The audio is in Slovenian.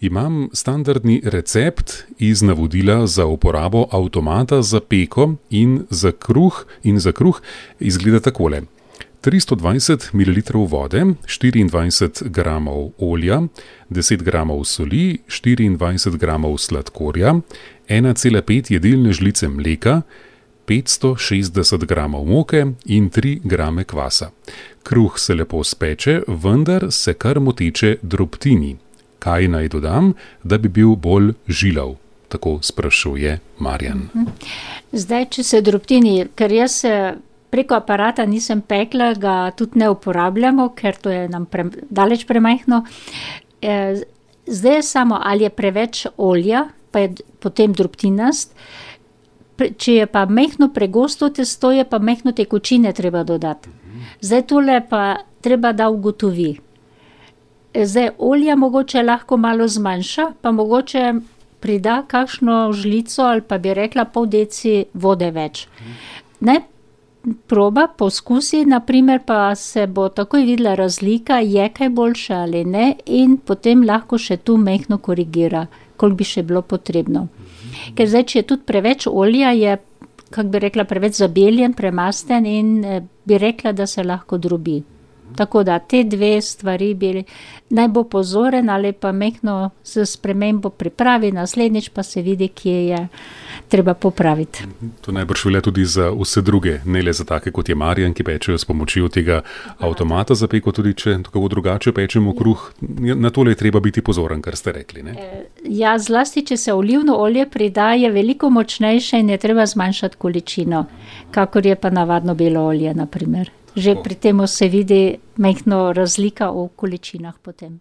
Imam standardni recept iz navodila za uporabo avtomata za peko in za kruh izgleda takole. 320 ml vode, 24 g olja, 10 g soli, 24 g sladkorja, 1,5 jedilne žlice mleka, 560 g moke in 3 g kvasa. Kruh se lepo speče, vendar se kar moteče drobtini. Kaj naj dodam, da bi bil bolj žilav? Tako sprašuje Marjan. Zdaj, če se drobtini, ker jaz preko aparata nisem pekla, ga tudi ne uporabljamo, ker to je nam daleč premajhno. Zdaj je samo, ali je preveč olja, pa je potem drobtinast. Če je pa majhno pregosto testo, je pa majhno tekočine treba dodati. Zdaj tole pa treba, da ugotovi. Zdaj olja mogoče lahko malo zmanjša, pa mogoče prida kakšno žlico ali pa bi rekla pol deci vode več. Naj proba, poskusi, naprimer, pa se bo takoj videla razlika, je kaj boljša ali ne, in potem lahko še tu majhno korigira, koliko bi še bilo potrebno. Ker zdaj, če je tudi preveč olja, je, kako bi rekla, preveč zabeljen, premasten in bi rekla, da se lahko drobi. Tako da te dve stvari naj bo pozoren ali pa majhno s spremembo pripravi, naslednjič pa se vidi, kje je treba popraviti. To najbrž velja tudi za vse druge, ne le za take kot je Marjan, ki pečejo s pomočjo tega avtomata za peko, tudi če tako drugače pečemo kruh. Na tole je treba biti pozoren, kar ste rekli, ne? Ja, zlasti, če se olivno olje prida, je veliko močnejše in je treba zmanjšati količino, kakor je pa navadno belo olje, naprimer. Že pri tem se vidi majhno razlika v količinah potem.